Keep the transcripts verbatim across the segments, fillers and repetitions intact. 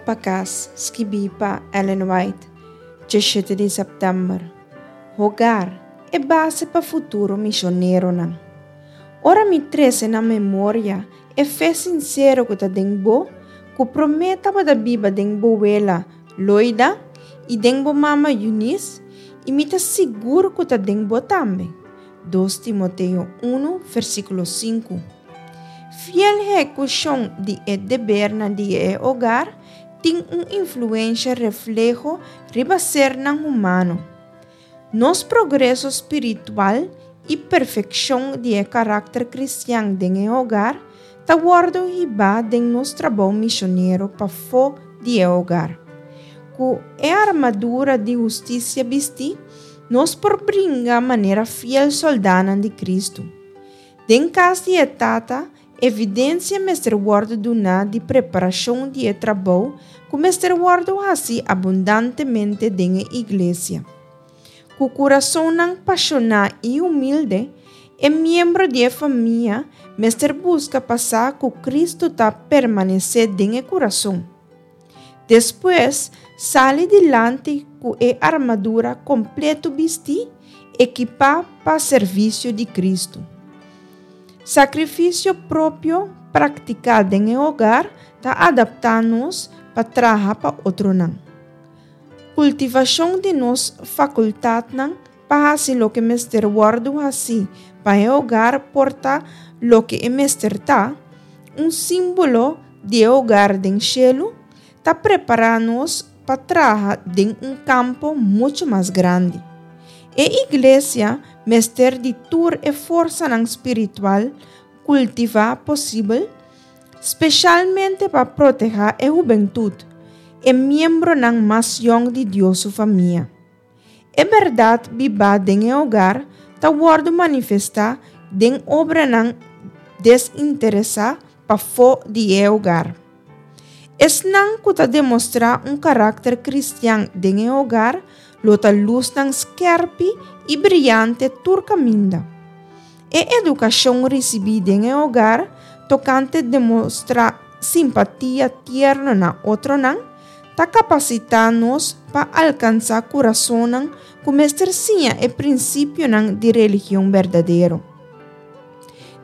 Pa Kas, skibí pa Ellen White, diesshete di sèptèmber. Hogar, e base pa futuro misioneronan. Ora mi trese na memoria e fe sinsero ku ta den bo, ku promé tabata biba den bo wela Loida i den bo mama Eunice, i mi ta sigur ku ta den bo tambe. dos Timoteo un, versíkulo sinku. Fiel ehekushon di e debernan di e hogar tin un influensha refleho riba sernan humano. Nos progreso spiritual i perfekshon di e karakter kristian den e hogar ta wòrdu hibá den nos trabou misionero pafó di e hogar. Ku e armadura di hustisia bistí, nos por bringa manera fiel sòldánan di Kristu. Den kas di e Tata, evidensia mester wòrdu duná di preparashon di e trabou ku mester wòrdu hasi abundantemente den e iglesia. Ku kurasonnan pashoná i humilde, e miembro di e famia mester buska pa sa ku Kristu ta permanesé den e kurason. Despues, sali dilanti ku e armadura kompleto bistí, ekipá pa servisio di Kristu. Sakrifisio propio praktiká den e hogar ta adaptá nos pa traha pa otronan. Kultivashon di nos fakultatnan pa hasi loke mester wòrdu hasí pa e hogar por ta loke e mester ta, un símbolo di e hogar den shelu, ta prepará nos pa traha den un kampo muchu mas grandi. E iglesia mester di tur e forsanan spiritual kultivá posibel, spesialmente pa protehá e hubentut, e miembronan mas yòn di Dios su famia. E bèrdat bibá den e hogar ta wòrdu manifestá den obranan desinteresá pafó di e hogar. Esnan ku ta demostrá un karakter kristian den e hogar lo ta lusnan skèrpi i briante tur kaminda. E edukashon risibí den e hogar tokante demostrá simpatia tierno na otronan ta kapasitá nos pa alkansá kurasonnan ku mester siña e prinsipionan di religion berdadero.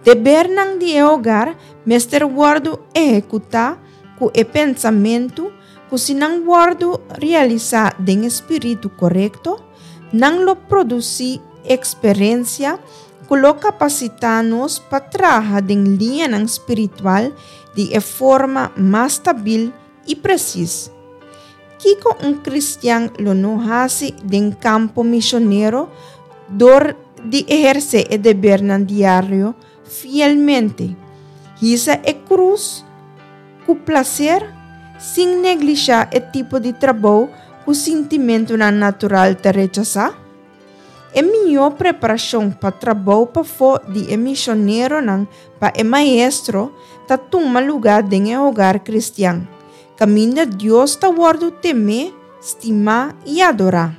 Debernan di e hogar mester wòrdu ehekutá ku e pensamentu ku si nan wòrdu realisá den e spiritu korekto, nan lo produsí eksperensia ku lo kapasitá nos pa traha den liñanan spiritual di e forma mas stabil i presis. Kiko un kristian lo no hasi den kampo misionero dor di ehersé e debernan diario fielmente, hisa e krus ku plaser, sin neglishá e tipo di trabou ku sintimentunan natural ta rechasá? E mihó preparashon pa trabou pafó di e misioneronan pa e Maestro ta tuma lugá den e hogar kristian, kaminda Dios ta wòrdu temé, stimá i adorá.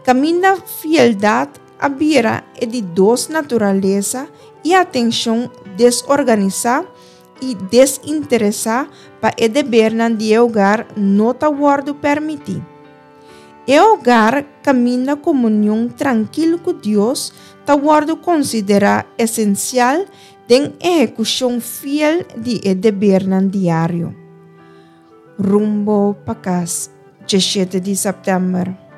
Kaminda fieldat a bira e di dos naturalesa i atenshon desorganisá i desinteresá pa e debernan di e hogar no ta wòrdu permití. E hogar kaminda komunion trankil ku Dios ta wòrdu konsiderá esensial den ehekushon fiel di e debernan diario. Rumbo pa kas, diesshete di sèptèmber.